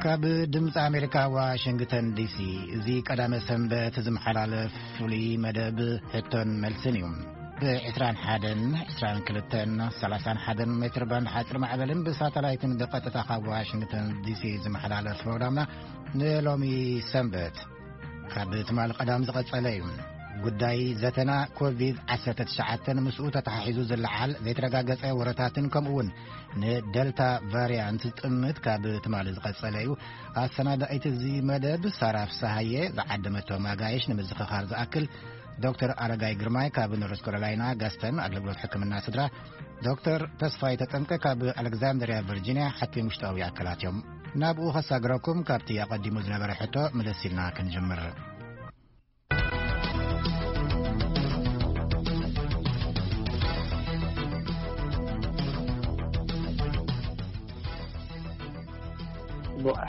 ካብ ድምፂ ኣሜሪካ ዋሽንግተን ዲሲ፣ እዚ ቀዳመ ሰንበት ዝመሓላለፍ ፍሉይ መደብ ሕቶን መልስን እዩ። ብ ዕስራን ሓደን፣ ዕስራን ክልተን፣ ሰላሳን ሓደን ሜትር ባንድ ሓፂር ማዕበልን ብሳተላይትን ብቐጥታ ካብ ዋሽንግተን ዲሲ ዝመሓላለፍ ፕሮግራምና ንሎሚ ሰንበት ካብ ትማል ቀዳም ዝቐጸለ እዩ። ጉዳይ ዘተና ኮቪድ ዓሰርተ ትሽዓተ፣ ምስኡ ተተሓሒዙ ዝለዓል ዘይተረጋገጸ ወረታትን ከምኡ እውን ንደልታ ቫሪያንት ዝጥምት ካብ ትማሊ ዝቐጸለ እዩ። ኣሰናዳኢት እዚ መደብ ሳራ ፍስሃየ፣ ዝዓደመቶ ማጋየሽ ንምዝኽኻር ዝኣክል፣ ዶክተር ኣረጋይ ግርማይ ካብ ኖርዝ ካሮላይና ጋስተን ኣገልግሎት ሕክምና ስድራ፣ ዶክተር ተስፋይ ተጠምቀ ካብ ኣሌክዛንድርያ ቨርጂንያ ሓኪም ውሽጣዊ ኣካላት እዮም። ናብኡ ከሳግረኩም ካብቲ ኣቐዲሙ ዝነበረ ሕቶ ምልስ ኢልና ክንጅምር።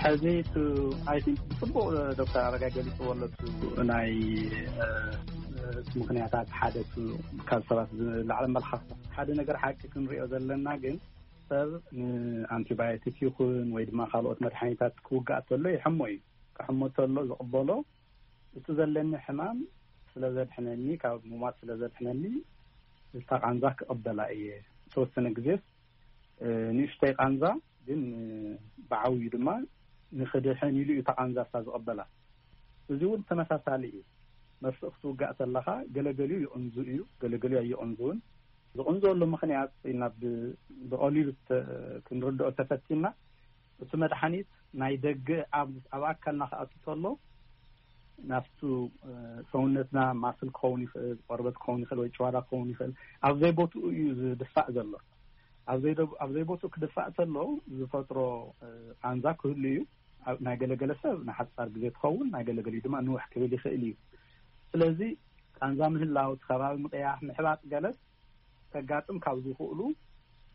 ሕዚ እቲ ኣይ ቲንክ ብፅቡቅ ዶክተር ኣረጋይ ገሊፅዎ ኣሎ። እቲ ናይ እ፣ እ፣ ምክንያታት ሓደ እቲ ካብ ሰባት ዝለዓለ መልሓስ ሓደ ነገር ሓቂ ክንሪኦ ዘለና ግን ሰብ ንኣንቲባዮቲክ ይኹን ወይ ድማ ካልኦት መድሓኒታት ክውጋእ ተሎ ይሕሞ እዩ። ክሕሞ ተሎ ዝቕበሎ እቲ ዘለኒ ሕማም ስለ ዘድሕነኒ፣ ካብ ምሟት ስለ ዘድሕነኒ፣ እታ ቃንዛ ክቕበላ እየ። ዝተወሰነ ግዜስ፣ እ፣ ንእሽተይ ቃንዛ ግን፣ እ፣ ብዓብዩ ድማ ንኽድሕን ኢሉ እዩ እታ ቃንዛ እሳ ዝቕበላ። እዚ እውን ተመሳሳሊ እዩ። መርፍእ ክትውጋእ ተለኻ ገለገሊኡ ይቕንዙ እዩ፣ ገለገሊኡ ኣይቕንዙን። ዝቕንዘሉ ምኽንያት ኢና ብ-፣ ብቐሊሉ ተ-፣ ክንርድኦ ተፈቲና፣ እቲ መድሓኒት ናይ ደገ ኣብ፣ ኣብ ኣካልና ክኣቱ ተሎ ናብቱ፣ እ፣ ሰውነትና ማስል ክኸውን ይኽእል፣ ቆርበት ክኸውን ይኽእል ወይ ጭዋዳ ክኸውን ይኽእል፣ ኣብ ዘይቦትኡ እዩ ዝድፋእ ዘሎ። ኣብ ዘይደ-፣ ኣብ ዘይቦትኡ ክድፋእ ተሎ ዝፈጥሮ፣ እ፣ ቃንዛ ክህሉ እዩ። ኣብ ናይ ገለገለ ሰብ ንሓጻር ግዜ ትኸውን፣ ናይ ገለገሊኡ ድማ ንውሕ ክብል ይኽእል እዩ። ስለዚ ቃንዛ ምህላው፣ እቲ ከባቢ ምቕያሕ፣ ምሕባጥ ገለስ ከጋጥም ካብ ዝኽእሉ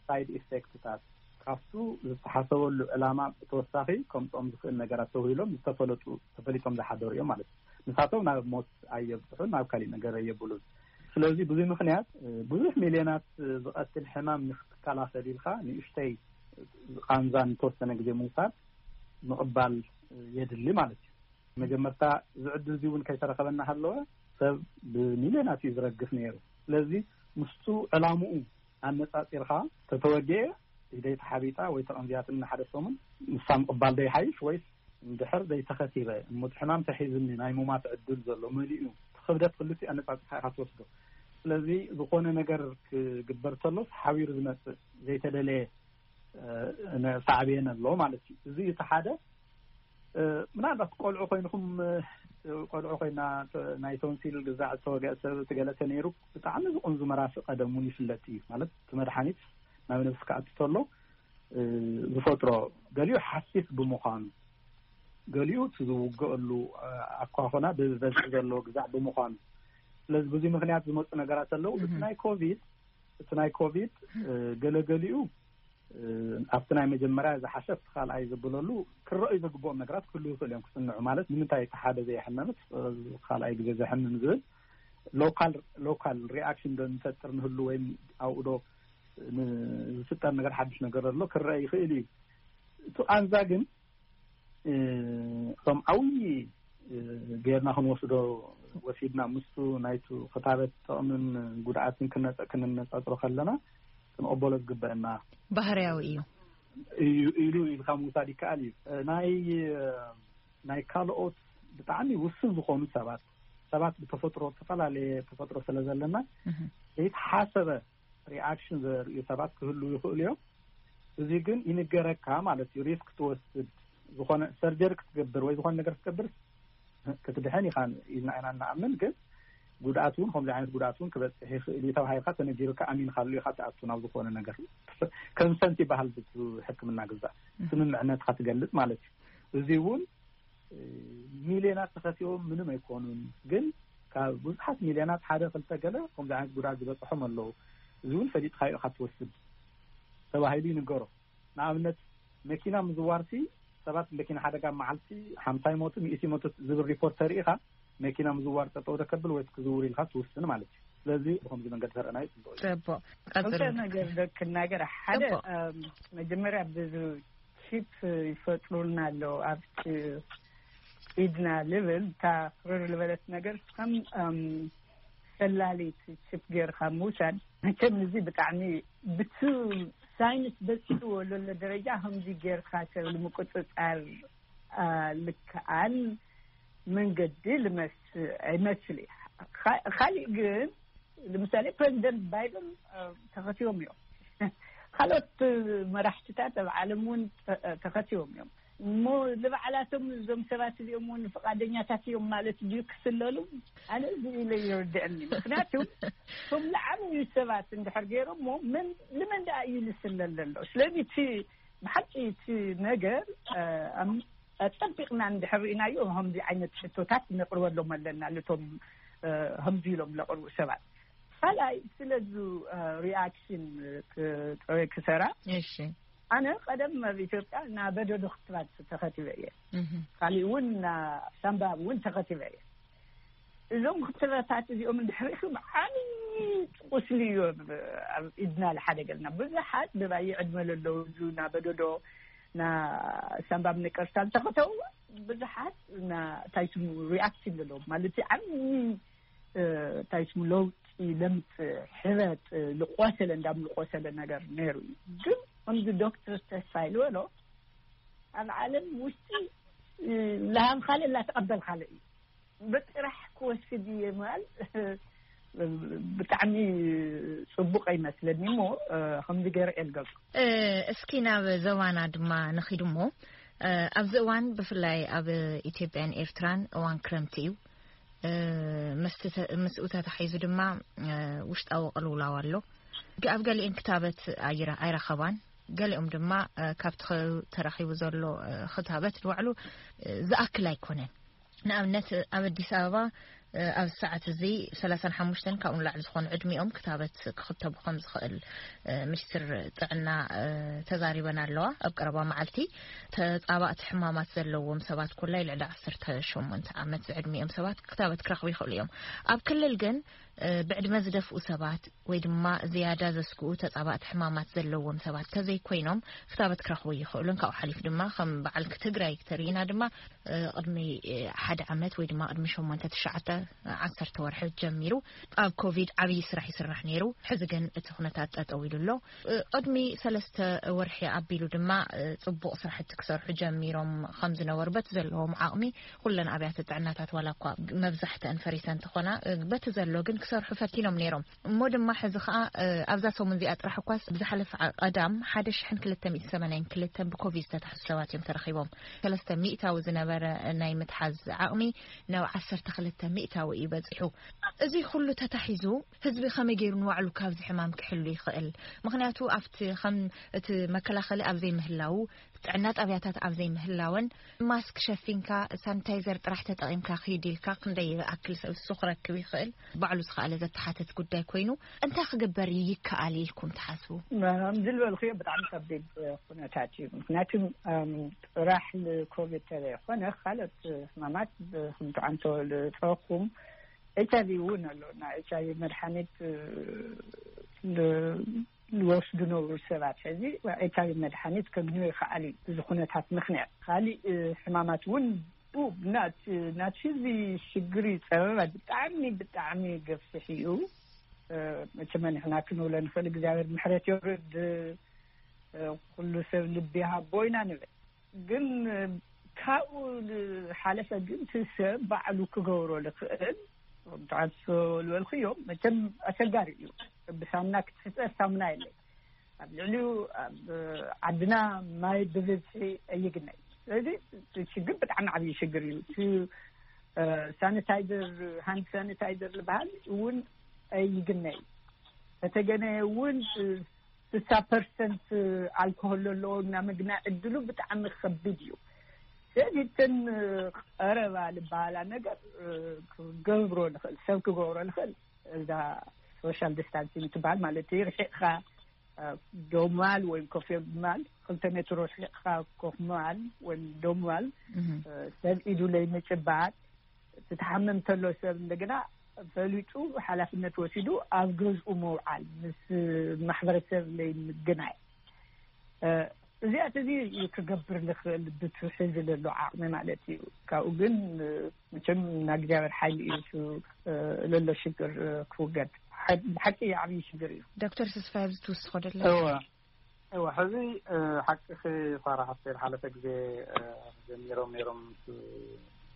ሳይድ ኢፌክትታት፣ ካብቱ ዝተሓሰበሉ ዕላማ ብተወሳኺ ከምፅኦም ዝኽእል ነገራት ተውሂሎም ዝተፈለጡ፣ ተፈሊጦም ዝሓደሩ እዮም ማለት እዩ። ንሳቶም ናብ ሞት ኣየብፅሑን ናብ ካሊእ ነገር ኣየብሉን። ስለዚ ብዙይ ምኽንያት፣ እ፣ ብዙሕ ሚልዮናት ዝቐትል ሕማም ንክትከላኸል ኢልካ ንእሽተይ ቃንዛ ንተወሰነ ግዜ ምውሳድ ምቕባል የድሊ ማለት እዩ። መጀመርታ እዚ ዕድል እዚ እውን ከይተረኸበና ሃለወ ሰብ ብሚልዮናት እዩ ዝረግፍ ነይሩ። ስለዚ ምስቱ ዕላምኡ ኣነጻጺርካ ተተወግኤ ኢደይ ተሓቢጣ ወይ ተቐንዚያትኒ ሓደ ሰሙን ንሳ ምቕባል ዶ ይሓይሽ ወይስ እንድሕር ዘይተኸቲበ እሞ እቲ ሕማም ተሒዝኒ ናይ ሙማት ዕድል ዘሎ መሊኡ እቲ ክብደት ክልቲኡ ኣነጻጺርካ ኢኻ ትወስዶ። ስለዚ ዝኾነ ነገር ክግበር ተሎስ ሓቢሩ ዝመጽእ ዘይተደለየ፣ እ፣ ነ-፣ ሳዕቤን ኣሎ ማለት እዩ። እዚ እቲ ሓደ፣ እ፣ ምናልባት ቆልዑ ኮይንኹም፣ እ፣ ቆልዑ ኮይና ተ-፣ ናይ ቶንሲል ግዛዕ ዝተወግአ ሰብ እቲ ገለ ተነይሩ ብጣዕሚ ዝቕንዙ መራፍእ ቀደም እውን ይፍለጥ እዩ። ማለት እቲ መድሓኒት ናብ ነብሲ ክኣቱ ተሎ፣ እ፣ ዝፈጥሮ ገሊኡ ሓሲስ ብምዃኑ፣ ገሊኡ እቲ ዝውገአሉ፣ እ፣ ኣኳኹና ብበዝሒ ዘለዎ ግዛዕ ብምዃኑ፣ ስለዚ ብዙ ምኽንያት ዝመፁ ነገራት ኣለዉ። እቲ ናይ ኮቪድ፣ እቲ ናይ ኮቪድ፣ እ፣ ገለገሊኡ፣ እ፣ ኣብቲ ናይ መጀመርያ ዝሓሸ ኣብቲ ካልኣይ ዘብለሉ ክረኣዩ ዘግብኦም ነገራት ክህሉ ይኽእሉ እዮም ክጽንዑ። ማለት ንምንታይ እቲ ሓደ ዘየሕመምስ፣ እ፣ ካልኣይ ግዜ ዘሕምም ዝብል ሎካል፣ ሎካል ሪኣክሽን ዶ ንፈጥር ንህሉ ወይም ኣብኡ ዶ ን-፣ ዝፍጠር ነገር ሓድሽ ነገር ኣሎ ክረአ ይኽእል እዩ። እቲ ቃንዛ ግን፣ እ፣ ከም ዓብዪ፣ እ፣ ጌርና ክንወስዶ ወሲድና ምስቱ ናይቱ ክታበት ጥቕምን ጉድኣትን ክነጸ-፣ ክንነጻጽሮ ከለና ክንቕበሎ ዝግበአና ባህርያዊ እዩ። እዩ ኢሉ ኢልካ ምውሳድ ይከኣል እዩ። እ፣ ናይ፣ እ፣ ናይ ካልኦት ብጣዕሚ ውስን ዝኾኑ ሰባት፣ ሰባት ብተፈጥሮ ዝተፈላለየ ተፈጥሮ ስለ ዘለና እህ። ዘይተሓሰበ ሪኣክሽን ዘርእዩ ሰባት ክህሉ ይኽእሉ እዮም። እዚ ግን ይንገረካ ማለት እዩ። ሪስክ ትወስድ፣ ዝኾነ ሰርጀሪ ክትገብር ወይ ዝኾነ ነገር ክትገብር ክትድሕን ኢኻ ኢልና ኢና እንኣምን። ግን ጉድኣት እውን ከምዚ ዓይነት ጉድኣት እውን ክበፅሕ ይኽእል እዩ ተባሂልካ ተነጊሩካ ኣሚንካሉ ኢኻ ትኣቱ ናብ ዝኾነ ነገር። ከንሰንት ይበሃል ብሕክምና ግዛእ እህ። ስምምዕነትካ ትገልፅ ማለት እዩ። እዚ እውን ሚልዮናት ተኸሲቦም ምንም ኣይኮኑን። ግን ካብ ብዙሓት ሚልዮናት ሓደ ክልተ ገለ ከምዚ ዓይነት ጉድኣት ዝበፅሖም ኣለዉ። እዚ እውን ፈሊጥካዮ ኢኻ ትወስድ ተባሂሉ ይንገሮ። ንኣብነት መኪና ምዝዋርሲ ሰባት መኪና ሓደጋ መዓልቲ ሓምሳ ይሞቱ፣ ሚእቲ ይሞቱ ዝብል ሪፖርት ተሪኢኻ መኪና ምዝዋር ጠጠው ዶ ከብል ወይስ ክዝውር ኢልካ ትውስን ማለት እዩ። ስለዚ ብኸምዚ መንገዲ ተረኣናዮ ጽቡቕ እዩ። ጽቡቕ። ቀጽሉ። ክልተ ነገር ዶ ክናገር። ሓደ፣ ጽቡቕ። እም፣ መጀመርያ ብዚ ቺፕ ይፈጥሩልና ኣለዉ ኣብቲ ኢድና ልብል፣ እታ ክርር ዝበለት ነገር ከም፣ እም፣ ሰላሊት ቺፕ ጌርካ ምውሳድ። መቸም እዚ ብጣዕሚ ብቲ ሳይንስ በፂሕዎ ዘሎ ደረጃ ከምዚ ጌርካ ሰብ ንምቁፅፃር፣ አ፣ ልክኣን መንገዲ ልመስ-፣ ይመስል እዩ። ካ-፣ ካሊእ ግን ንምሳሌ ፕሬዚደንት ባይደን፣ አ፣ ተኸትዮም እዮም። ካልኦት መራሕትታት ኣብ ዓለም እውን ተ-፣ ተኸትዮም እዮም። እሞ ንባዕላቶም እዞም ሰባት እዚኦም እውን ፍቓደኛታት እዮም ማለት ድዩ ክስለሉ? ኣነ እዚ ኢለ ይርድአኒ። ምክንያቱ እቶም ዝዓበዩ ሰባት እንድሕር ገይሮሞ መን፣ ንመን ደኣ እዩ ዝስለል ዘሎ? ስለዚ እቲ ብሓቂ እቲ ነገር፣ አ፣ ኣም-፣ ኣጸቢቕና እንድሕር ርኢናዮ፣ ከምዚ ዓይነት ሕቶታት ነቕርበሎም ኣለና፣ ነቶም፣ አ፣ ከምዚ ኢሎም ለቕርቡ ሰባት። ካልኣይ፣ ስለዚ፣ አ፣ ሪኣክሽን ክ-፣ ጥረ ክሰራ፣ እሺ። ኣነ ቀደም ኣብ ኢትዮጵያ ናበደዶ ክትባት ተኸቲበ እየ። እህ። ካሊእ እውን ና-፣ ሳምባ እውን ተኸቲበ እየ። እዞም ክትባታት እዚኦም እንድሕር ርኢኹም፣ ዓብዪ ቁስሊ እዩ ኣብ፣ ኣብ ኢድና ዝሓደገልና። ብዙሓት ብባይ ዕድመ ለለዉ፣ እዚ ናበደዶ፣ ና ሳምባ ነቀርሳ ዝተኸተቡ ብዙሓት ና፣ እንታይ ስሙ፣ ሪኣክሽን ዘለዎም፣ ማለት ዓብዪ፣ እ፣ እንታይ ስሙ፣ ለውጢ ለምጽእ፣ ሕበጥ፣ እ፣ ልቆሰለ፣ እንዳም ልቆሰለ ነገር ነይሩ እዩ። ግን ከምዚ ዶክተር ተስፋይ ዝበሎ፣ ኣብ ዓለም ውሽጢ፣ እ፣ ለሃብካለ፣ ላተቐበልካለ እዩ። ብጥራሕ ክወስድ እየ ምባል ብጣዕሚ ጽቡቕ ኣይመስለኒ እሞ፣ እ፣ ከምዚ ገይረ እየ ዝገልጾ። እ፣ እስኪ ናብ ዞባና ድማ ንኺድ እሞ፣ እ፣ ኣብዚ እዋን ብፍላይ ኣብ ኢትዮጵያን ኤርትራን እዋን ክረምቲ እዩ። እ፣ ምስቲ ተ-፣ ምስኡ ተታሒዙ ድማ፣ እ፣ ውሽጣዊ ቅልውላው ኣሎ። ግ-፣ ኣብ ገሊኤን ክታበት ኣይረ-፣ ኣይረኸባን። ገሊኦም ድማ፣ እ፣ ካብቲ ኸ-፣ ተረኺቡ ዘሎ፣ እ፣ ክታበት ንባዕሉ፣ እ፣ ዝኣክል ኣይኮነን። ንኣብነት ኣብ ኣዲስ ኣበባ፣ እ፣ ኣብ ሰዓት እዚ ሰላሳን ሓሙሽተን ካብኡ ንላዕሊ ዝኾኑ ዕድሚኦም ክታበት ክኽተቡ ከም ዝኽእል፣ እ፣ ሚኒስትር ጥዕና፣ እ፣ ተዛሪበን ኣለዋ። ኣብ ቀረባ መዓልቲ ተጻባእቲ ሕማማት ዘለዎም ሰባት ኩላይ ልዕሊ ዓሰርተ ሸሞንተ ዓመት ዝዕድሚኦም ሰባት ክታበት ክረኽቡ ይኽእሉ እዮም። ኣብ ክልል ግን፣ እ፣ ብዕድመ ዝደፍኡ ሰባት ወይ ድማ ዝያዳ ዘስግኡ ተጻባእቲ ሕማማት ዘለዎም ሰባት ተዘይኮይኖም ክታበት ክረኽቡ ይኽእሉን። ካብኡ ሓሊፉ ድማ ከም በዓል ትግራይ ተሪእና ድማ፣ እ፣ ቅድሚ፣ እ፣ ሓደ ዓመት ወይ ድማ ቅድሚ ሸሞንተ፣ ትሽዓተ፣ ዓሰርተ ወርሒ ጀሚሩ ኣብ ኮቪድ ዓብዪ ስራሕ ይስራሕ ነይሩ። ሕዚ ግን እቲ ኩነታት ጠጠው ኢሉ ኣሎ። እ፣ ቅድሚ ሰለስተ ወርሒ ኣቢሉ ድማ፣ እ፣ ጽቡቕ ስራሕቲ ክሰርሑ ጀሚሮም ከም ዝነበሩ በቲ ዘለዎም ዓቕሚ ኩለን ኣብያተ ጥዕናታት ዋላ እኳ መብዛሕተን ፈሪሰን እንተኾና፣ እ፣ በቲ ዘሎ ግን ክሰርሑ ፈቲኖም ነይሮም። እሞ ድማ ሕዚ ኸኣ፣ እ፣ ኣብዛ ሰሙን እዚኣ ጥራሕ እኳስ ብዝሓለፈ ዓ-፣ ቀዳም ሓደ ሽሕን ክልተ ሚእቲ ሰማንያን ክልተን ብኮቪድ ዝተታሕዙ ሰባት እዮም ተረኺቦም። ሰለስተ ሚእታዊ ዝነበረ ናይ ምትሓዝ ዓቕሚ ናብ ዓሰርተ ክልተ ሚእታዊ እዩ በጺሑ። እዚ ኩሉ ተታሒዙ ህዝቢ ከመይ ገይሩ ንባዕሉ ካብዚ ሕማም ክሕሉ ይኽእል? ምኽንያቱ ኣብቲ ከም እቲ መከላኸሊ ኣብ ዘይምህላዉ፣ ጥዕና ጣብያታት ኣብ ዘይምህላወን፣ ማስክ ሸፊንካ፣ ሳኒታይዘር ጥራሕ ተጠቒምካ ክይድ ኢልካ ክንደይ ይኣክል ሰብ እሱ ክረክብ ይኽእል? ባዕሉ ዝኸኣለ ዘተሓተት ጉዳይ ኮይኑ፣ እንታይ ክግበር ይከኣል ኢልኩም ትሓስቡ? ከምዚ ዝበልክዮ ብጣዕሚ ከቢድ ኩነታት እዩ። ምኽንያቱ፣ እም፣ ጥራሕ ንኮቪድ ተዘይኮነ፣ ካልኦት ሕማማት ብ-፣ ከም ትዓንቶ ዝጠቐስኩም፣ ኤች ኣይ ቪ እውን ኣሎ። ናይ ኤች ኣይ ቪ መድሓኒት፣ እ፣ ል-፣ ዝወስዱ ነበሩ ሰባት። ሕዚ ኤች ኣይ ቪ መድሓኒት ከግንዮ ይኸኣል እዩ፣ እዚ ኩነታት ምኽንያት። ካሊእ፣ እ፣ ሕማማት እውን፣ ኡ፣ ናት-፣ ናቲ ህዝቢ ሽግር እዩ። ጸበባ ብጣዕሚ፣ ብጣዕሚ ገፊሕ እዩ። እ፣ መቸም ንሕና ክንብሎ ንኽእል፣ እግዚኣብሔር ምሕረት የውርድ፣ እ፣ ኩሉ ሰብ ልቢ ይሃቦ ኢና ንብል። ግን ካብኡ ዝሓለፈ ግን እቲ ሰብ ባዕሉ ክገብሮ ዝኽእል፣ ብትዓሶ ዝበልክዮ መቸም ኣሸጋሪ እዩ። ብሳሙና ክትሕጸብ ሳሙና የለይ። ኣብ ልዕሊኡ ኣብ ዓድና ማይ ብብዝሒ ኣይግነይ። ስለዚ እቲ ሽግር ብጣዕሚ ዓብዪ ሽግር እዩ። እቲ፣ እ፣ ሳኒታይዘር፣ ሃንድ ሳኒታይዘር ዝበሃል እውን ኣይግነይ። ከተገነየ እውን ስሳ ፐርሰንት ኣልኮሆል ዘለዎ እና ምግናዕ ዕድሉ ብጣዕሚ ከቢድ እዩ። ስለዚ እተን ቀረባ ዝበሃላ ነገር ክገብሮ ንኽእል፣ ሰብ ክገብሮ ንኽእል፣ እዛ ሶሻል ዲስታንሲንግ ትበሃል ማለት እዩ። ርሒቕካ ደው ምባል ወይም ኮፍ ምባል፣ ክልተ ሜትሮ ርሒቕካ ኮፍ ምባል ወይም ደው ምባል፣ ሰብ ኢዱ ለይምጭባጥ፣ እቲ ተሓመም ተሎ ሰብ እንደገና ፈሊጡ ሓላፍነት ወሲዱ ኣብ ገዝኡ ምውዓል፣ ምስ ማሕበረሰብ ለይምግናይ፣ እዚኣት እዚ እዩ ክገብር ዝኽእል ብትሕዚ ዘሎ ዓቕሚ ማለት እዩ። ካብኡ ግን መቸም ናይ እግዚኣብሔር ሓይሊ እዩ ለሎ ሽግር ክውገድ። ብሓቂ ዓብዪ ሽግር እዩ። ዶክተር ተስፋ ኣብዚ ትውስኾ ደለ? እወ፣ እወ፣ ሕዚ ሓቅኺ ሳራ ሓፍተይ፣ ሓለፈ ግዜ ጀሚሮም ነይሮም፣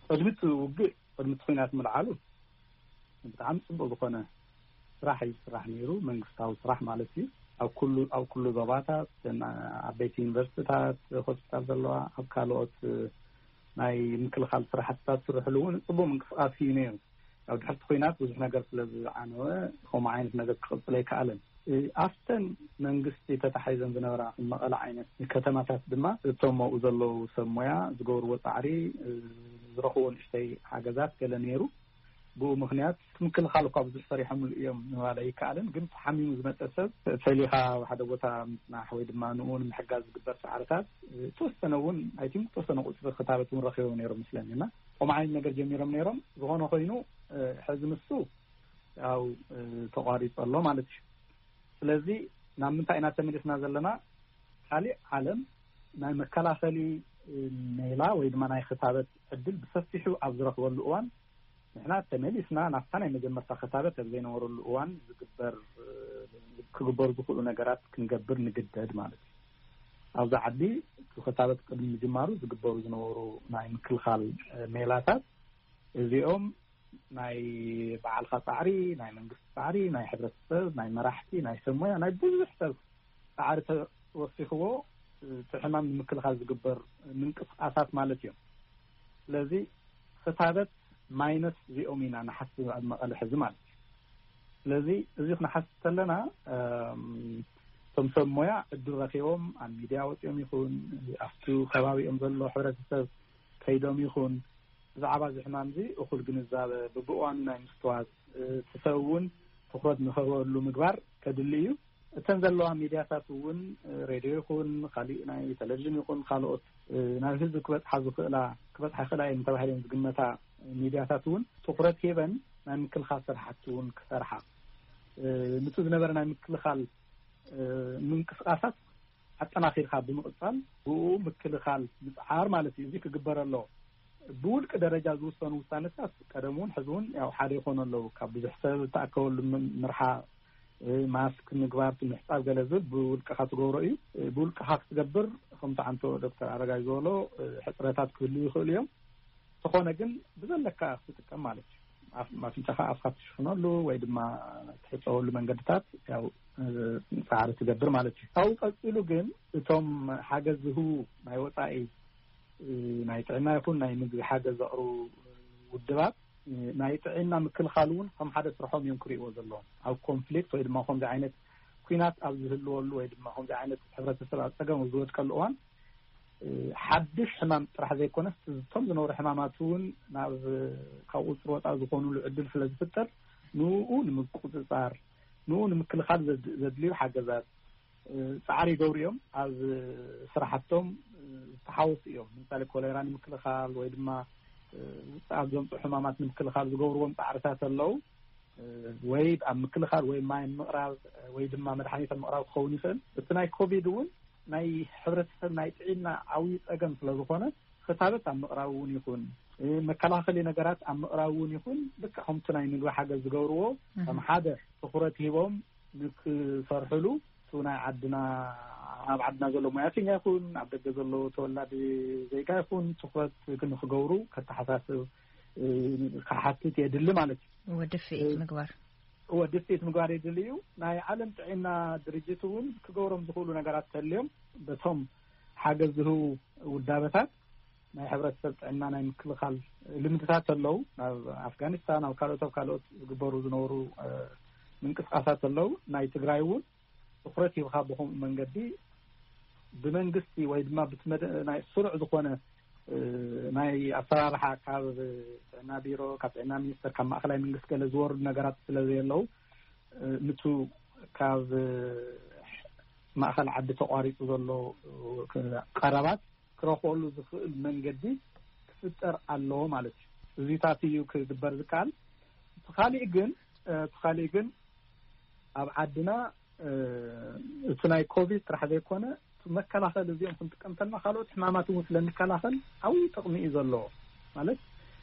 ቅድሚ እቲ ውግእ፣ ቅድሚ እቲ ኲናት ምልዓሉ ብጣዕሚ ፅቡቅ ዝኾነ ስራሕ እዩ ዝስራሕ ነይሩ። መንግስታዊ ስራሕ ማለት እዩ። ኣብ ኩሉ ኣብ ኩሉ ዞባታት፣ ዓበይቲ ዩኒቨርሲቲታት፣ ሆስፒታል ዘለዋ፣ ኣብ ካልኦት ናይ ምክልኻል ስራሕትታት ዝስርሕሉ እውን ፅቡቅ ምንቅስቃስ እዩ ነይሩ። ኣብ ድሕርቲ ኲናት ብዙሕ ነገር ስለ ዝዓነወ፣ ከምኡ ዓይነት ነገር ክቕፅል ኣይከኣለን። ኣብተን መንግስቲ ተታሒዘን ዝነበራ መቐለ ዓይነት ከተማታት ድማ እቶም ኣብኡ ዘለዉ ሰብ ሞያ ዝገብርዎ ፃዕሪ፣ ዝረኽቦ ንእሽተይ ሓገዛት ገለ ነይሩ። ብኡ ምክንያት ምክልኻል እኳ ብዙሕ ሰሪሖምሉ እዮም ምባል ኣይከኣልን። ግን ተሓሚሙ ዝመፀ ሰብ ፈሊኻ ኣብ ሓደ ቦታ ምፅናሕ ወይ ድማ ንኡ ንምሕጋዝ ዝግበር ፃዕርታት፣ ዝተወሰነ እውን ኣይቲም ዝተወሰነ ቁፅሪ ክታበት እውን ረኪቦም ነይሮም ምስለኒ እና ከምኡ ዓይነት ነገር ጀሚሮም ነይሮም። ዝኾነ ኮይኑ ሕዚ ንሱ ያው ተቋሪፁ ኣሎ ማለት እዩ። ስለዚ ናብ ምንታይ ኢና ተመሊስና ዘለና? ካሊእ ዓለም ናይ መከላኸሊ ሜላ ወይ ድማ ናይ ክታበት ዕድል ብሰፊሑ ኣብ ዝረኽበሉ እዋን፣ ንሕና ተመሊስና ናብታ ናይ መጀመርታ ክታበት ኣብ ዘይነበረሉ እዋን ዝግበር ክግበሩ ዝኽእሉ ነገራት ክንገብር ንግደድ ማለት እዩ። ኣብዚ ዓዲ እቲ ክታበት ቅድሚ ምጅማሩ ዝግበሩ ዝነበሩ ናይ ምክልኻል ሜላታት እዚኦም ናይ በዓልካ ፃዕሪ፣ ናይ መንግስቲ ፃዕሪ፣ ናይ ሕብረተሰብ፣ ናይ መራሕቲ፣ ናይ ሰብ ሞያ፣ ናይ ብዙሕ ሰብ ፃዕሪ ተወሲኽዎ እቲ ሕማም ንምክልኻል ዝግበር ምንቅስቃሳት ማለት እዮም። ስለዚ ክታበት ማይነስ እዚኦም ኢና ንሓስብ ኣብ መቐለ ሕዚ ማለት እዩ። ስለዚ እዚ ክንሓስብ ከለና እቶም ሰብ ሞያ ዕድል ረኪቦም ኣብ ሚድያ ወፂኦም ይኹን ኣብቲ ከባቢኦም ዘሎ ሕብረተሰብ ከይዶም ይኹን ብዛዕባ እዚ ሕማም እዚ እኹል ግንዛበ ብብእዋኑ ናይ ምስትዋት እቲ ሰብ እውን ትኩረት ንኸበሉ ምግባር ከድሊ እዩ። እተን ዘለዋ ሚድያታት እውን ሬድዮ ይኹን ካሊእ ናይ ቴሌቪዥን ይኹን ካልኦት ናብ ህዝቢ ክበፅሓ ዝኽእላ ክበፅሓ ይኽእላ እየን ተባሂለን ዝግመታ ሚድያታት እውን ትኩረት ሂበን ናይ ምክልኻል ስራሕቲ እውን ክሰርሓ፣ ንቲ ዝነበረ ናይ ምክልኻል ምንቅስቃሳት ኣጠናኺርካ ብምቕፃል ብኡ ምክልኻል ምፅዓር ማለት እዩ። እዚ ክግበር ኣለዎ። ብውልቂ ደረጃ ዝውሰኑ ውሳነታት ቀደም እውን ሕዚ እውን ያው ሓደ ይኾኑ ኣለዉ። ካብ ብዙሕ ሰብ ዝተኣከበሉ ምርሓ፣ ማስክ ምግባር፣ ምሕፃብ ገለ ዝብል ብውልቅኻ ትገብሮ እዩ። ብውልቅኻ ክትገብር ከምቲ ዓንቶ ዶክተር ኣረጋይ ዝበሎ ሕፅረታት ክህልዉ ይኽእሉ እዮም። ተኾነ ግን ብዘለካ ክትጥቀም ማለት እዩ። ኣፍንጫኻ ኣፍካ ትሽፍነሉ ወይ ድማ ትሕፀወሉ መንገድታት ያው ፃዕሪ ትገብር ማለት እዩ። ካብኡ ቀፂሉ ግን እቶም ሓገዝ ዝህቡ ናይ ወፃኢ ናይ ጥዕና ይኹን ናይ ምግቢ ሓገዝ ዘቕርቡ ውድባት ናይ ጥዕና ምክልኻል እውን ከም ሓደ ስርሖም እዮም ክርእይዎ ዘለዎም። ኣብ ኮንፍሊክት ወይ ድማ ከምዚ ዓይነት ኲናት ኣብ ዝህልወሉ ወይ ድማ ከምዚ ዓይነት ሕብረተሰብ ኣብ ፀገም ኣብ ዝወድቀሉ እዋን ሓድሽ ሕማም ጥራሕ ዘይኮነስ እቶም ዝነበሩ ሕማማት እውን ናብ ካብ ቁፅሪ ወፃኢ ዝኾኑሉ ዕድል ስለ ዝፍጠር ንኡ ንምቁፅፃር ንኡ ንምክልኻል ዘድልዩ ሓገዛት ፃዕሪ ይገብሩ እዮም። ኣብ ስራሕቶም ዝተሓወሱ እዮም። ንምሳሌ ኮሌራ ንምክልኻል ወይ ድማ ኣብ ዘምፅኡ ሕማማት ንምክልኻል ዝገብርዎም ፃዕርታት ኣለዉ። ወይ ኣብ ምክልኻል ወይ ማይ ምቕራብ ወይ ድማ መድሓኒት ኣብ ምቕራብ ክኸውን ይኽእል። እቲ ናይ ኮቪድ እውን ናይ ሕብረተሰብ ናይ ጥዒና ዓብዪ ፀገም ስለ ዝኾነ ክታበት ኣብ ምቕራብ እውን ይኹን መከላኸሊ ነገራት ኣብ ምቕራብ እውን ይኹን ልክዕ ከምቲ ናይ ምግቢ ሓገዝ ዝገብርዎ ከም ሓደ ትኹረት ሂቦም ንክሰርሕሉ እቲ ናይ ዓድና ኣብ ዓድና ዘሎ ሞያተኛ ይኹን ኣብ ደገ ዘሎ ተወላዲ ዜጋ ይኹን ትኹረት ንክገብሩ ከተሓሳስብ ክሓትት የድሊ ማለት እዩ። ወድፍኢት ምግባር ወድፍኢት ምግባር የድሊ እዩ። ናይ ዓለም ጥዕና ድርጅት እውን ክገብሮም ዝኽእሉ ነገራት ተልዮም በቶም ሓገዝ ዝህቡ ውዳበታት ናይ ሕብረተሰብ ጥዕና ናይ ምክልኻል ልምድታት ኣለዉ። ናብ ኣፍጋኒስታን ኣብ ካልኦት ኣብ ካልኦት ዝግበሩ ዝነበሩ ምንቅስቃሳት ኣለዉ። ናይ ትግራይ እውን ትኩረት ሂብካ ብከምኡ መንገዲ ብመንግስቲ ወይ ድማ ብትመደ ናይ ስሩዕ ዝኾነ ናይ ኣሰራርሓ ካብ ጥዕና ቢሮ ካብ ጥዕና ሚኒስተር ካብ ማእኸላይ መንግስቲ ገለ ዝወርዱ ነገራት ስለ ዘየለዉ እ፣ ንቱ ካብ፣ እ፣ ማእኸል ዓዲ ተቋሪጹ ዘሎ፣ እ፣ ቀረባት ክረኽበሉ ዝኽእል መንገዲ ክፍጠር ኣለዎ ማለት እዩ። እዚታት እዩ ክግበር ዝከኣል። እቲ ካሊእ ግን፣ እ፣ እቲ ካሊእ ግን ኣብ ዓድና፣ እ፣ እቲ ናይ ኮቪድ ጥራሕ ዘይኮነ፣ እቲ መከላኸሊ እዚኦም ክንጥቀም እንተልና፣ ካልኦት ሕማማት እውን ስለንከላኸል ዓብዪ ጥቕሚ እዩ ዘለዎ። ማለት፣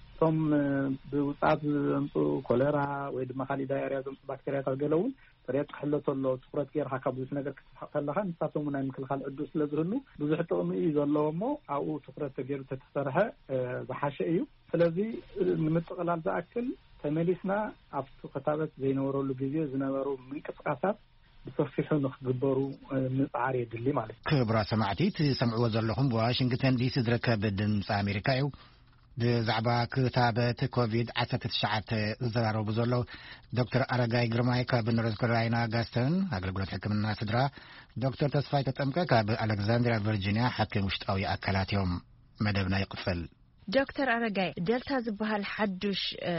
እቶም፣ እ፣ ብውፅኣት ዘምፅኡ ኮሌራ ወይ ድማ ካሊእ ዳያርያ ዘምፅኡ ባክቴርያታት ገለ እውን ጥሬት ክሕሎ ተሎ ትኹረት ጌርካ ካብ ብዙሕ ነገር ክትስሕቕ ከለኻ፣ ንሳቶም እውን ናይ ምክልኻል ዕድል ስለ ዝህሉ ብዙሕ ጥቕሚ እዩ ዘለዎ። እሞ ኣብኡ ትኹረት ተገይሩ ተተሰርሐ፣ እ፣ ዝሓሸ እዩ። ስለዚ፣ እ፣ ንምጥቕላል ዝኣክል፣ ተመሊስና ኣብቲ ክታበት ዘይነበረሉ ግዜ ዝነበሩ ምንቅስቃሳት ብሰፊሑ ንክግበሩ፣ እ፣ ምጽዓር የድሊ ማለት እዩ። ክቡራት ሰማዕቲ፣ ትሰምዕዎ ዘለኹም ብዋሽንግተን ዲሲ ዝርከብ ድምፂ ኣሜሪካ እዩ። ብዛዕባ ክታበት ኮቪድ ዓሰርተ ትሽዓተ ዝዘራረቡ ዘለዉ ዶክተር ኣረጋይ ግርማይ ካብ ኖርዝ ካሮላይና ጋስተን ኣገልግሎት ሕክምና ስድራ፣ ዶክተር ተስፋይ ተጠምቀ ካብ ኣሌክዛንድሪያ ቨርጂኒያ ሓኪም ውሽጣዊ ኣካላት እዮም። መደብና ይቕጽል። ዶክተር ኣረጋይ፣ ደልታ ዝበሃል ሓዱሽ፣ እ፣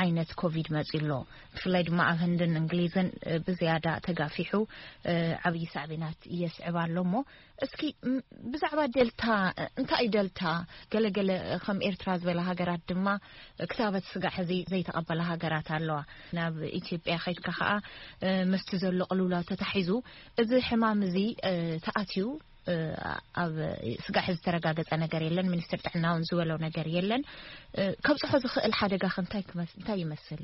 ዓይነት ኮቪድ መጺኡ ኣሎ። ብፍላይ ድማ ኣብ ህንድን እንግሊዝን፣ እ፣ ብዝያዳ ተጋፊሑ፣ እ፣ ዓብዪ ሳዕቤናት የስዕብ ኣሎ። እሞ እስኪ፣ ም-፣ ብዛዕባ ደልታ፣ እ፣ እንታይ እዩ ደልታ? ገለገለ ከም ኤርትራ ዝበላ ሃገራት ድማ ክታበት ስጋዕ ሕዚ ዘይተቐበላ ሃገራት ኣለዋ። ናብ ኢትዮጵያ ከይድካ ከኣ፣ እ፣ ምስቲ ዘሎ ቅልውላው ተታሒዙ እዚ ሕማም እዚ፣ እ፣ ተኣትዩ፣ እ፣ ኣብ ስጋዕ ዝተረጋገጸ ነገር የለን። ሚኒስትር ጥዕና እውን ዝበለው ነገር የለን። እ፣ ከብጽሖ ዝኽእል ሓደጋ ከ እንታይ ክመስ-፣ እንታይ ይመስል?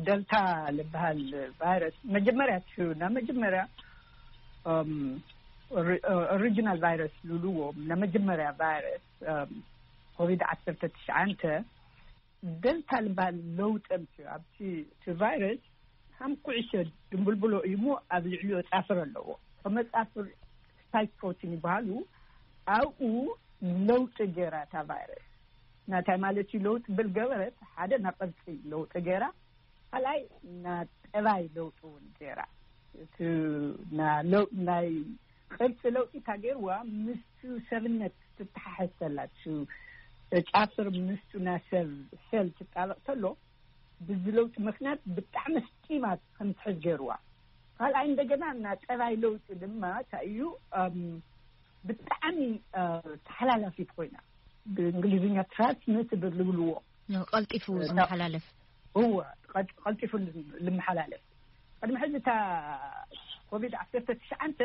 ደልታ ዝበሃል ቫይረስ መጀመርያ ትሕብና መጀመርያ፣ እም፣ ኦሪ-፣ ኦሪጂናል ቫይረስ ዝብልዎ፣ ናይ መጀመርያ ቫይረስ፣ እም፣ ኮቪድ ዓሰርተ ትሽዓተ ደልታ ዝበሃል ለውጢ ኣምፅኡ። ኣብቲ፣ እቲ ቫይረስ ሃም ኩዕሾ ድንብልብሎ እዩ እሞ ኣብ ልዕሊኡ ጻፍር ኣለዎ። ከመጻፍር ስፓይክ ፕሮቲን ይበሃሉ። ኣብኡ ለውጢ ገይራ እታ ቫይረስ። ናታይ ማለት እዩ ለውጢ ብል ገበረት፣ ሓደ ናብ ቅርጺ ለውጢ ገይራ፣ ካልኣይ ናብ ጠባይ ለውጢ እውን ገይራ። እቲ ና-፣ ለው-፣ ናይ ቅርጺ ለውጢ እታ ገይርዋ ምስቱ ሰብነት ትተሓሕዝ ተላ፣ እቱ ጫፍር ምስቱ ናይ ሰብ ሴል ትጣበቕ ተሎ፣ ብዚ ለውጢ ምኽንያት ብጣዕሚ ስጢማት ከም ትሕዝ ገይርዋ። ካልኣይ እንደገና እና ጠባይ ለውጢ ድማ እንታይ እዩ፣ እም፣ ብጣዕሚ፣ እ፣ ተሓላላፊት ኮይና፣ ብእንግሊዝኛ ትራንስሚትብል ዝብልዎ። ኖ፣ ቀልጢፉ እ፣ ዝመሓላለፍ። እወ፣ ቀል-፣ ቀልጢፉ ልም-፣ ልመሓላለፍ። ቅድሚ ሕዚ እታ ኮቪድ ዓሰርተ ትሽዓተ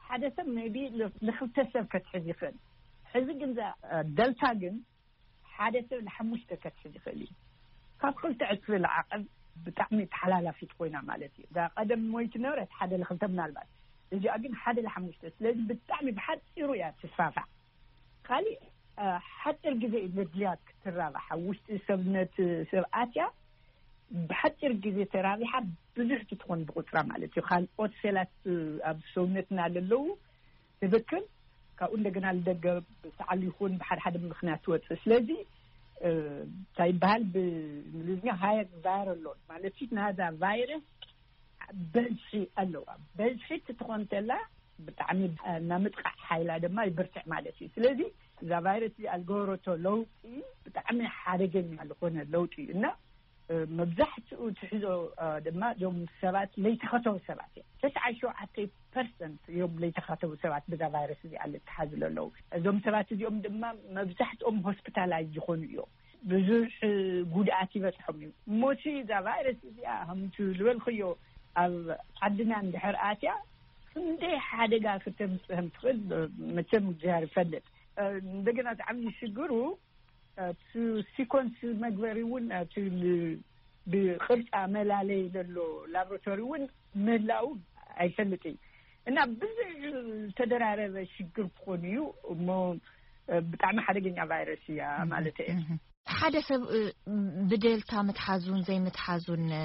ሓደ ሰብ ሜቢ ል-፣ ልኽልተ ሰብ ከትሕዝ ይኽእል። ሕዚ ግን እዛ፣ እ፣ ደልታ ግን ሓደ ሰብ ንሓሙሽተ ከትሕዝ ይኽእል እዩ። ካብ ክልተ ዕጽፊ ዝዓቐብ ብጣዕሚ ተሓላላፊት ኮይና ማለት እዩ። እዛ ቀደም ሞይቲ ነበረት ሓደ ለኽልተ ምናልባት፣ እዚኣ ግን ሓደ ለሓሙሽተ። ስለዚ ብጣዕሚ ብሓጺሩ እያ ትስፋፋዕ። ካሊእ፣ እ፣ ሓጺር ግዜ እዩ ዘድልያ ክትራባሕ። ኣብ ውሽጢ ሰብነት ሰብ ኣትያ ብሓጺር ግዜ ተራቢሓ ብዙሕ ትኾን ብቁጽራ ማለት እዩ። ካልኦት ሴላት ኣብ ሰውነትና ለለዉ ትብክል፣ ካብኡ እንደገና ልደገ ብሰዓል ይኹን ብሓደ ሓደ ምኽንያት ትወጽእ። ስለዚ፣ እ፣ እንታይ ይበሃል ብእንግሊዝኛ ሃየር ቫይራል ሎድ ማለት እዩ። ናዛ ቫይረስ በዝሒ ኣለዋ። በዝሒ ትኾን ተላ ብጣዕሚ፣ እ፣ ናይ ምጥቃዕ ሓይላ ድማ ይብርትዕ ማለት እዩ። ስለዚ እዛ ቫይረስ እዚኣ ዝገበረቶ ለውጢ ብጣዕሚ ሓደገኛ ዝኾነ ለውጢ እዩ እና፣ እ፣ መብዛሕትኡ ትሕዞ፣ እ፣ ድማ እዞም ሰባት ለይተኸተቡ ሰባት እዮም። ተስዓን ሸውዓተ ፐርሰንት እዮም ለይተኸተቡ ሰባት ብዛ ቫይረስ እዚኣ ልተሓዙ ዘለዉ። እዞም ሰባት እዚኦም ድማ መብዛሕትኦም ሆስፒታላይዝ ዝኾኑ እዮም። ብዙሕ ጉድኣት ይበጽሖም እዩ። እሞሲ እዛ ቫይረስ እዚኣ ከምቲ ዝበልኽዮ ኣብ ዓድና እንድሕር ኣትያ ክንደይ ሓደጋ ክተምጽእ ከም ትኽእል መቸም እግዚኣብሔር ይፈልጥ። እ፣ እንደገና እቲ ዓብዪ ሽግሩ፣ እ፣ እቲ ሲኮንስ መግበሪ እውን፣ እቲ ል-፣ ብቅርጻ መላለይ ዘሎ ላቦራቶሪ እውን ምህላው ኣይፈልጥ እዩ። እና ብዙሕ ዝተደራረበ ሽግር ክኾን እዩ እሞ፣ እ፣ ብጣዕሚ ሓደገኛ ቫይረስ እያ ማለት እየ። እህ። ሓደ ሰብ፣ እ፣ ብደልታ ምትሓዙን ዘይምትሓዙን፣ እ፣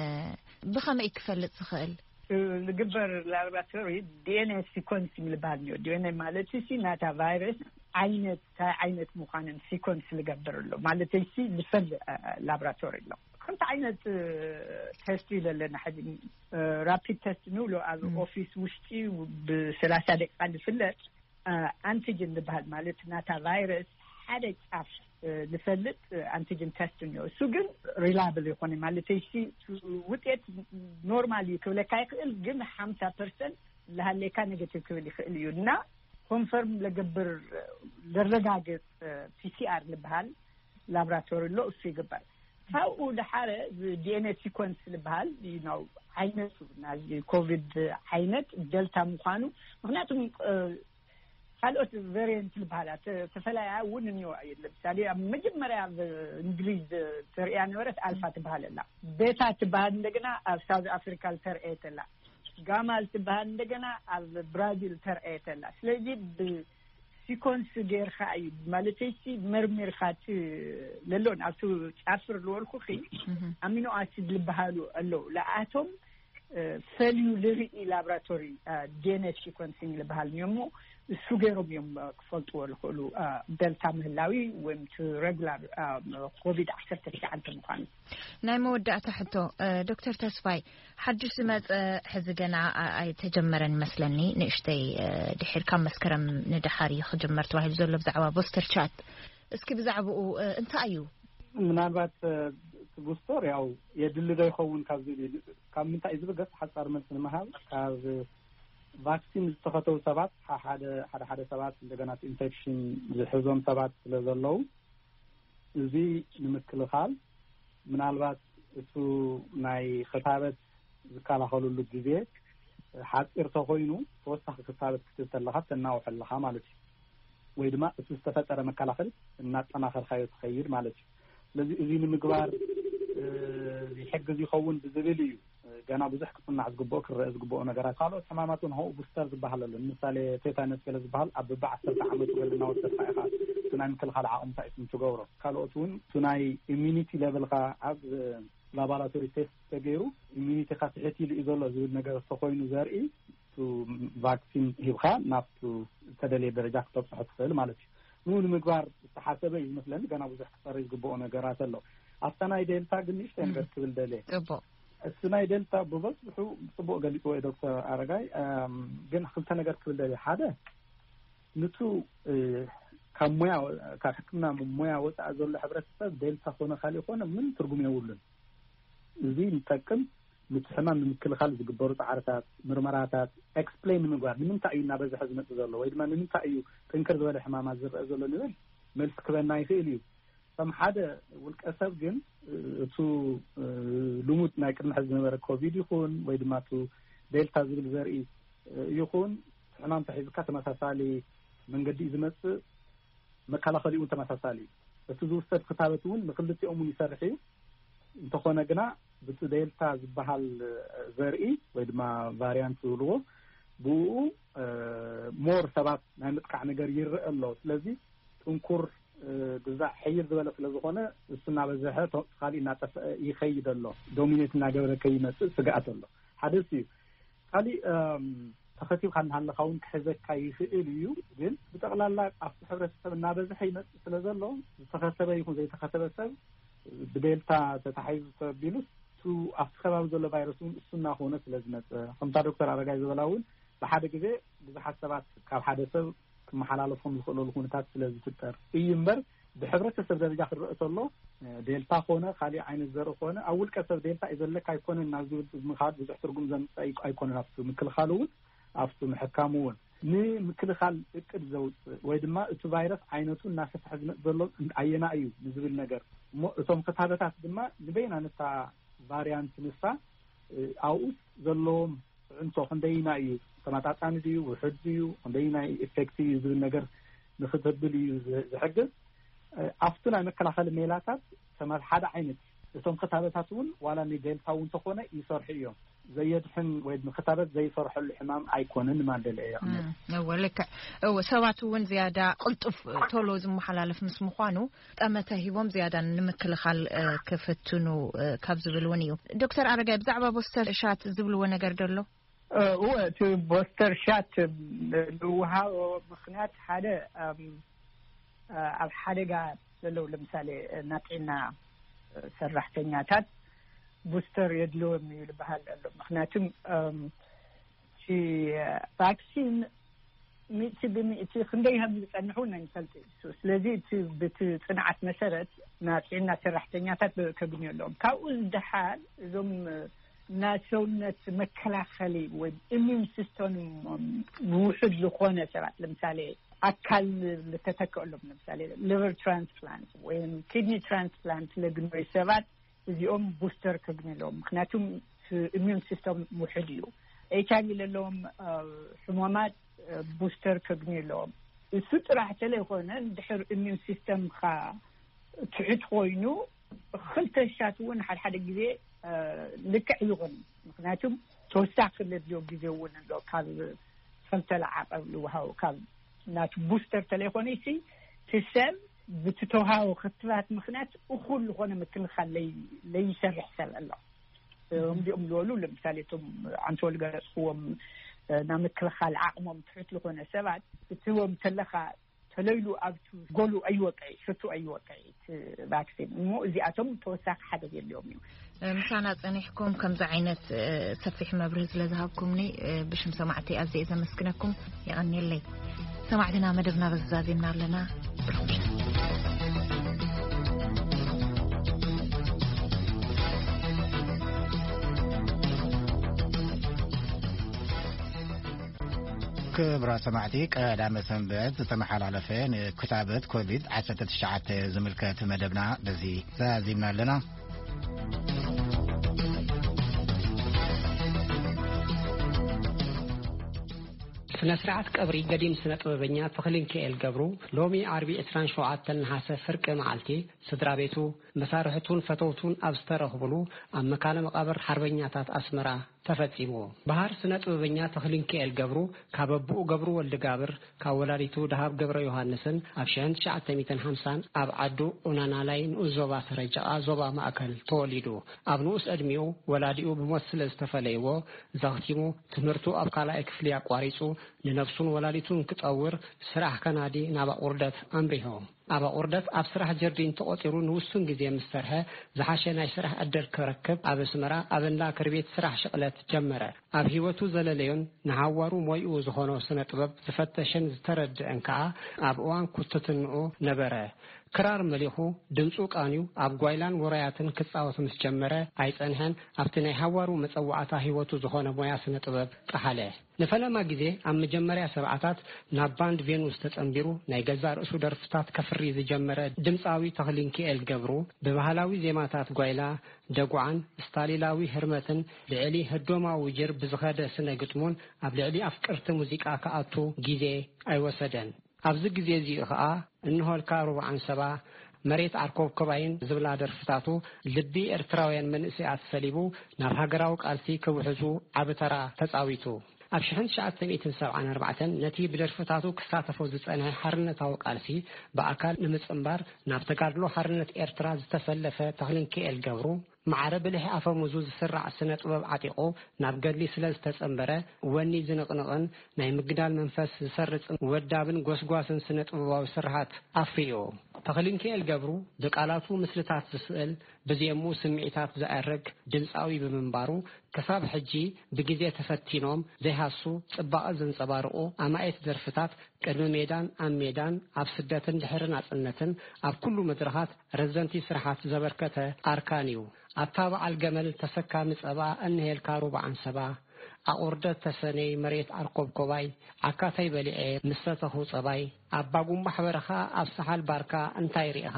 ብኸመይ ክፈልጥ ዝኽእል? እ፣ ዝግበር ላቦራቶሪ ዲ ኤን ኤ ሲኮንስ ዝብሃል እዩ። ዲ ኤን ኤ ማለት ሲ ናታ ቫይረስ ዓይነት፣ እንታይ ዓይነት ምዃንን ሲኮንስ ዝገብር ኣሎ ማለት ሲ ዝፈል፣ እ፣ ላቦራቶሪ ኣሎ። ከምቲ ዓይነት፣ እ፣ ቴስት እዩ ዘለና ሕዚ፣ እ፣ ራፒድ ቴስት ንብሎ ኣብ እም። ኦፊስ ውሽጢ ብሰላሳ ደቂቃ ዝፍለጥ፣ እ፣ ኣንቲጅን ዝበሃል ማለት ናታ ቫይረስ ሓደ ጫፍ ዝፈልጥ ኣንቲጅን ተስት እኒኦ። እሱ ግን ሪላብል ይኾነ ማለት ሲ ውጤት ኖርማል እዩ ክብለካ ይኽእል፣ ግን ሓምሳ ፐርሰንት ለሃሌካ ኔጌቲቭ ክብል ይኽእል እዩ። እና ኮንፈርም ለገብር ለረጋግጽ ፒሲኣር ዝበሃል ላብራቶሪ ኣሎ፣ እሱ ይግበር። ካብኡ ደሓረ ዲኤንኤ ሲኮንስ ዝበሃል ነው ዓይነቱ ናይ ኮቪድ ዓይነት ደልታ ምዃኑ። ምክንያቱም ካልኦት ቨሪየንት ዝበሃላ ተፈላያ እውን እኒዋ እየ። ለምሳሌ ኣብ መጀመርያ ኣብ እንግሊዝ ተርእያ ነበረት ኣልፋ ትበሃል ኣላ፣ ቤታ ትበሃል እንደገና ኣብ ሳውዝ ኣፍሪካ ተርእየት ኣላ፣ ጋማ ትበሃል እንደገና ኣብ ብራዚል ተርእየት ኣላ። ስለዚ ብሲኮንስ ጌርካ እዩ ማለት ሲ መርሚርካ ለሎን ኣብቲ ጫፍር ዝበልኩ ኣሚኖ ኣሲድ ዝበሃሉ ኣለዉ። ለኣቶም ፈልዩ ልርኢ ላብራቶሪ ዲኤንኤ ሲኮንሲንግ ዝበሃል እዮም። እሱ ገይሮም እዮም ክፈልጥዎ ዝኽእሉ ደልታ ምህላዊ ወይም ቲ ሬጉላር ኮቪድ ዓሰርተ ትሽዓተ ምዃኑ። ናይ መወዳእታ ሕቶ ዶክተር ተስፋይ፣ ሓድሽ ዝመፀ ሕዚ ገና ኣይተጀመረን ይመስለኒ፣ ንእሽተይ ድሒር ካብ መስከረም ንደሓር እዩ ክጅመር ተባሂሉ ዘሎ ብዛዕባ ቦስተር ቻት። እስኪ ብዛዕባኡ እንታይ እዩ? ምናልባት እቲ ቡስተር ያው የድሊ ዶ ይኸውን ካብ ዝብል እዩ። ካብ ምንታይ እዩ ዝብል ገጽ ሓጻር መልሲ ንምሃብ፣ ካብ ቫክሲን ዝተኸተቡ ሰባት፣ ሓደ ሓደ ሰባት እንደገና ኢንፌክሽን ዝሕዞም ሰባት ስለ ዘለዉ፣ እዚ ንምክልኻል ምናልባት እሱ ናይ ክታበት ዝከላኸሉሉ ግዜ ሓፂር ተኮይኑ፣ ተወሳኺ ክታበት ክትብ ተለካ ተናውሕ ኣለካ ማለት እዩ። ወይ ድማ እቲ ዝተፈጠረ መከላኸሊ እናጠናኸርካዮ ትኸይድ ማለት እዩ። ስለዚ እዚ ንምግባር ይሕግዝ ይኸውን ብዝብል እዩ። ገና ብዙሕ ክፅናዕ ዝግብኦ፣ ክረአ ዝግብኦ ነገራት። ካልኦት ሕማማት እውን ሆኡ ቡስተር ዝበሃል ኣሎ። ንምሳሌ ቴታነስ ገለ ዝበሃል ኣብ በቢ ዓሰርተ ዓመቱ ገለ እናወሰድካ ኢኻ እቲ ናይ ምክልኻል ዓቕምታ እዩ ትገብሮ። ካልኦት እውን እቲ ናይ ኢሚኒቲ ሌቨልካ ኣብ ላቦራቶሪ ቴስት ተገይሩ ኢሚኒቲካ ትሕት ኢሉ እዩ ዘሎ ዝብል ነገር ተኮይኑ ዘርኢ፣ ቫክሲን ሂብካ ናብቲ ዝተደለየ ደረጃ ክተብፅሖ ትኽእል ማለት እዩ። ንኡ ንምግባር ዝተሓሰበ እዩ ዝመስለኒ። ገና ብዙሕ ክፀሪ ዝግብኦ ነገራት ኣሎ። ኣብታ ናይ ዴልታ ግን ንእሽተይ ነገር ክብል ደልየ። ፅቡቅ። እቲ ናይ ዴልታ ብበዝሑ ብፅቡቅ ገሊፅዎ እዩ ዶክተር ኣረጋይ። ግን ክልተ ነገር ክብል ደልየ። ሓደ፣ ንቱ ካብ ሞያ፣ ካብ ሕክምና ሞያ ወፃኢ ዘሎ ሕብረተሰብ ዴልታ ኮነ ካሊእ ኮነ ምን ትርጉም የብሉን። እዚ ንጠቅም፣ ንቲ ሕማም ንምክልኻል ዝግበሩ ፃዕርታት፣ ምርመራታት ኤክስፕሌን ንምግባር፣ ንምንታይ እዩ እናበዝሐ ዝመፅእ ዘሎ ወይ ድማ ንምንታይ እዩ ጥንክር ዝበለ ሕማማት ዝረአ ዘሎ ንብል መልሲ ክበና ይኽእል እዩ። ከም ሓደ ውልቀ ሰብ ግን እቱ ልሙድ ናይ ቅድሚ ሕዚ ዝነበረ ኮቪድ ይኹን ወይ ድማ ቱ ዴልታ ዝብል ዘርኢ ይኹን፣ ሕማም ተሒዝካ ተመሳሳሊ መንገዲ እዩ ዝመፅእ። መከላኸሊኡ ተመሳሳሊ እዩ። እቲ ዝውሰድ ክታበት እውን ንክልቲኦም እውን ይሰርሕ እዩ። እንተኾነ ግና ብቲ ዴልታ ዝበሃል ዘርኢ ወይ ድማ ቫሪያንት ዝብልዎ ብኡ ሞር ሰባት ናይ ምጥቃዕ ነገር ይረአ ኣሎ። ስለዚ ጥንኩር ግዛዕ ሕይል ዝበለ ስለ ዝኾነ እሱ እናበዝሐ፣ ካሊእ እናጠፍአ ይኸይድ ኣሎ። ዶሚኔት እናገበረ ከይመፅእ ስግኣት ኣሎ። ሓደ እሱ እዩ። ካሊእ ተኸቲብካ እናሃለካ እውን ክሕዘካ ይኽእል እዩ። ግን ብጠቕላላ ኣብቲ ሕብረተሰብ እናበዝሐ ይመፅእ ስለ ዘሎ ዝተኸተበ ይኹን ዘይተኸተበ ሰብ ብዴልታ ተታሒዙ ተቢሉስ፣ ኣብቲ ከባቢ ዘሎ ቫይረስ እውን እሱ እናኾነ ስለ ዝመፀ፣ ከምታ ዶክተር ኣረጋይ ዝበላ እውን ብሓደ ግዜ ብዙሓት ሰባት ካብ ሓደ ሰብ ክመሓላለፎም ዝኽእለሉ ኩነታት ስለ ዝፍጠር እዩ እምበር፣ ብሕብረተሰብ ደረጃ ክረአ ተሎ ዴልታ ኮነ ካሊእ ዓይነት ዘርኢ ኮነ ኣብ ውልቀ ሰብ ዴልታ እዩ ዘለካ ኣይኮነን ናብ ዝብል ምኻድ ብዙሕ ትርጉም ዘምፅእ ኣይኮነን። ኣብቲ ምክልኻሉ እውን ኣብቲ ምሕካሙ እውን ንምክልኻል እቅድ ዘውፅእ ወይ ድማ እቲ ቫይረስ ዓይነቱ እናሰፍሐ ዝመፅ ዘሎ ኣየና እዩ ንዝብል ነገር እሞ እቶም ክታበታት ድማ ንበይና ነታ ቫሪያንት ንሳ ኣብኡስ ዘለዎም ፅዕንቶ ክንደይና እዩ፣ ተመጣጣኒ ድዩ፣ ውሕድ ድዩ፣ ክንደይናይ ኢፌክት እዩ ዝብል ነገር ንክተብል እዩ ዝሕግዝ። ኣብቲ ናይ መከላኸሊ ሜላታት ተማ ሓደ ዓይነት እቶም ክታበታት እውን ዋላ ንዴልታ እውን ተኾነ ይሰርሑ እዮም። ዘየድሕን ወይ ክታበት ዘይሰርሐሉ ሕማም ኣይኮነን ማደለ እየ። እወ ልክዕ። እወ ሰባት እውን ዝያዳ ቅልጡፍ ቶሎ ዝመሓላለፍ ምስ ምዃኑ ጠመተ ሂቦም ዝያዳ ንምክልኻል ክፍትኑ ካብ ዝብል እውን እዩ። ዶክተር ኣረጋይ ብዛዕባ ቦስተር ሻት ዝብልዎ ነገር ደሎ? እወ እቲ ቦስተር ሻት ዝውሃቦ ምክንያት ሓደ ኣብ ሓደጋ ዘለዉ ለምሳሌ ናጥዕና ሰራሕተኛታት ቡስተር የድልዎም እዩ ዝበሃል ኣሎ። ምክንያቱም እቲ ቫክሲን ሚእቲ ብሚእቲ ክንደይ ከም ዝጸንሑ ናይ ንፈልጥ እዩ። ስለዚ እቲ ብቲ ጽንዓት መሰረት ናይ ጥዕና ሰራሕተኛታት ከግንዩ ኣለዎም። ካብኡ ዝደሓር እዞም ናይ ሰውነት መከላኸሊ ወይ ኢሚዩን ሲስተም ውሑድ ዝኾነ ሰባት፣ ለምሳሌ ኣካል ዝተተከሎም፣ ለምሳሌ ሊቨር ትራንስፕላንት ወይ ኪድኒ ትራንስፕላንት ለግንዩ ሰባት፣ እዚኦም ቡስተር ከግንዩ ኣለዎም። ምክንያቱም ኢሚዩን ሲስተም ውሑድ እዩ። ኤች ኣይቪ ለለዎም ሕሞማት ቡስተር ከግንዩ ኣለዎም። እሱ ጥራሕ ተለይኮነ፣ ድሕር ኢሚዩን ሲስተምካ ትሑት ኮይኑ፣ ክልተ ሻት እውን ሓደ ሓደ ግዜ ልክዕ ይኹን። ምክንያቱም ተወሳኺ ለድልዮ ግዜ እውን ኣሎ። ካብ ሰልተላ ዓቐብ ልውሃው ካብ ናቱ ቡስተር ተለይኮነ ሲ ትሰብ ብትተውሃቦ ክትባት ምክንያት እኹል ዝኾነ ምክልኻል ለይ- ለይሰርሕ ሰብ ኣሎ። እምዲኦም ዝበሉ ለምሳሌ እቶም ኣንተ ወልገለፅክዎም፣ ናብ ምክልኻል ዓቕሞም ትሑት ዝኾነ ሰባት ክትህቦም ተለኻ፣ ተለይሉ ኣብቱ ጎሉ ኣይወቅዕ፣ ሽቱ ኣይወቅዕ እቲ ቫክሲን እሞ፣ እዚኣቶም ተወሳኺ ሓደግ የለዎም እዩ። ምሳና ጸኒሕኩም ከምዚ ዓይነት ሰፊሕ መብርህ ስለ ዝሃብኩምኒ ብሽም ሰማዕቲ ኣዝየ ዘመስግነኩም። የቐንየለይ። ሰማዕትና፣ መደብና በዚ ዛዚምና ኣለና። ብሩኽ ምሽት። ክብራ ሰማዕቲ፣ ቀዳመ ሰንበት ዝተመሓላለፈ ንክታበት ኮቪድ ዓሰርተ ትሽዓተ ዝምልከት መደብና በዚ ዛዚምና ኣለና። ስነ ስርዓት ቀብሪ ገዲም ስነ ጥበበኛ ተኽሊንኪኤል ገብሩ ሎሚ ዓርቢ ዕስራን ሸውዓተን ነሓሰ ፍርቂ መዓልቲ ስድራ ቤቱ፣ መሳርሕቱን ፈተውቱን ኣብ ዝተረኽብሉ ኣብ መካነ መቓብር ሓርበኛታት ኣስመራ ተፈጺሙ። በሃር ስነ ጥበበኛ ተኽሊንኪኤል ገብሩ ካብ ኣቦኡ ገብሩ ወልደጋብር ካብ ወላዲቱ ደሃብ ገብረ ዮሃንስን ኣብ ሽሕን ትሽዓተ ሚእትን ሓምሳን ኣብ ዓዱ ኡናናላይ ንኡስ ዞባ ሰረጀቓ ዞባ ማእከል ተወሊዱ። ኣብ ንኡስ ዕድሚኡ ወላዲኡ ብሞት ስለ ዝተፈለይዎ ዘኽቲሙ ትምህርቱ ኣብ ካልኣይ ክፍሊ ኣቋሪጹ ንነብሱን ወላዲቱን ክጠውር ስራሕ ከናዲ ናብ ኣቑርደት ኣምሪሑ። ኣብ ኣቑርደት ኣብ ስራሕ ጀርዲን ተቖጺሩ ንውሱን ግዜ ምስ ሰርሐ ዝሓሸ ናይ ስራሕ ዕድል ክረክብ ኣብ ኣስመራ ኣብ እንዳ ክርቤት ስራሕ ሽቕለት ጀመረ። ኣብ ህይወቱ ዘለለዮን ንሃዋሩ ሞይኡ ዝኾኖ ስነ ጥበብ ዝፈተሸን ዝተረድአን ከኣ ኣብ እዋን ኩትትንኡ ነበረ። ክራር መሊኹ ድምጹ ቃንዩ ኣብ ጓይላን ውራያትን ክጻወት ምስ ጀመረ ኣይጸንሐን ኣብቲ ናይ ሃዋሩ መጸዋዕታ ህይወቱ ዝኾነ ሞያ ስነ ጥበብ ጠሓለ። ንፈለማ ግዜ ኣብ መጀመርያ ሰብዓታት ናብ ባንድ ቬኑስ ተጸንቢሩ ናይ ገዛእ ርእሱ ደርፍታት ከፍሪ ዝጀመረ ድምጻዊ ተኽሊንኪኤል ገብሩ ብባህላዊ ዜማታት ጓይላ፣ ደጉዓን ስታሊላዊ ህርመትን ልዕሊ ህዶማዊ ጅር ብዝኸደ ስነ ግጥሙን ኣብ ልዕሊ ኣፍቀርቲ ሙዚቃ ክኣቱ ግዜ ኣይወሰደን። ኣብዚ ግዜ እዚኡ ኸኣ እንሆልካ ሩባ ዓንሰባ፣ መሬት ዓርኮብኮባይን ዝብላ ደርፍታቱ ልቢ ኤርትራውያን መንእሰያት ሰሊቡ ናብ ሃገራዊ ቃልሲ ክውሕዙ ዓቢ ተራ ተጻዊቱ። ኣብ ሽሕን ትሽዓተ ሚእትን ሰብዓን ኣርባዕተን ነቲ ብደርፍታቱ ክሳተፎ ዝጸንሐ ሓርነታዊ ቃልሲ ብኣካል ንምጽንባር ናብ ተጋድሎ ሓርነት ኤርትራ ዝተሰለፈ ተኽሊንኪኤል ገብሩ፣ ማዕረ ብልሒ ኣፈሙዙ ዝስራዕ ስነ ጥበብ ዓጢቑ ናብ ገድሊ ስለ ዝተጸንበረ፣ ወኒ ዝንቕንቕን ናይ ምግዳል መንፈስ ዝሰርጽን ወዳብን ጎስጓስን ስነ ጥበባዊ ስርሓት ኣፍርዩ። ተኽሊንኪኤል ገብሩ ብቃላቱ ምስልታት ዝስእል፣ ብዜሙ ስምዒታት ዘዕርግ ድምጻዊ ብምንባሩ፣ ክሳብ ሕጂ ብግዜ ተፈቲኖም ዘይሃሱ ጽባቐ ዘንጸባርቑ ኣማኢት ደርፍታት ቅድሚ ሜዳን ኣብ ሜዳን፣ ኣብ ስደትን ድሕሪ ናጽነትን፣ ኣብ ኩሉ መድረኻት ረዘንቲ ስርሓት ዘበርከተ ኣርካን እዩ። ኣታ በዓል ገመል ተሰካሚ ጸባ፣ እንሄልካ ሩባ ዓንሰባ፣ ኣቑርደት ተሰነይ መሬት ዓርኮብኮባይ፣ ዓካተይ በሊዐ ምስ ሰተኹ ጸባይ፣ ኣባ ጉምባሕ በረኻ ኣብ ሰሓል ባርካ እንታይ ርኢኻ፣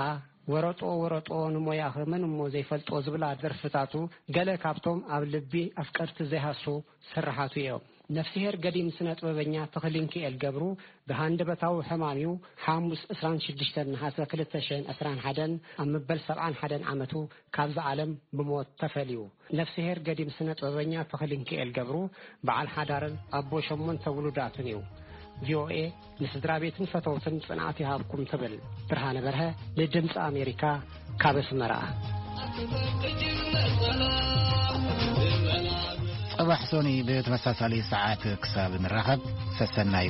ወረጦ ወረጦ ንሞያኺ መን እሞ ዘይፈልጦ ዝብላ ደርፍታቱ ገለ ካብቶም ኣብ ልቢ ኣፍቀርቲ ዘይሃሱ ስርሓቱ እዮም። ነፍስሄር ገዲም ስነ ጥበበኛ ተኽሊንኪኤል ገብሩ ብሃንደበታዊ ሕማም እዩ ሓሙስ ዕስራን ሽዱሽተን ነሓሰ ክልተ ሽሕን ዕስራን ሓደን ኣብ መበል ሰብዓን ሓደን ዓመቱ ካብዚ ዓለም ብሞት ተፈልዩ። ነፍስሄር ገዲም ስነ ጥበበኛ ተኽሊንኪኤል ገብሩ በዓል ሓዳርን ኣቦ ሸሞንተ ውሉዳትን እዩ። ቪኦኤ ንስድራ ቤትን ፈተውትን ጽንዓት ይሃብኩም ትብል ብርሃነ በርሀ ንድምፂ ኣሜሪካ ካብ ኣስመራ። ጽባሕ ሶኒ ብተመሳሳሊ ሰዓት ክሳብ ንራኸብ ሰሰናዩ።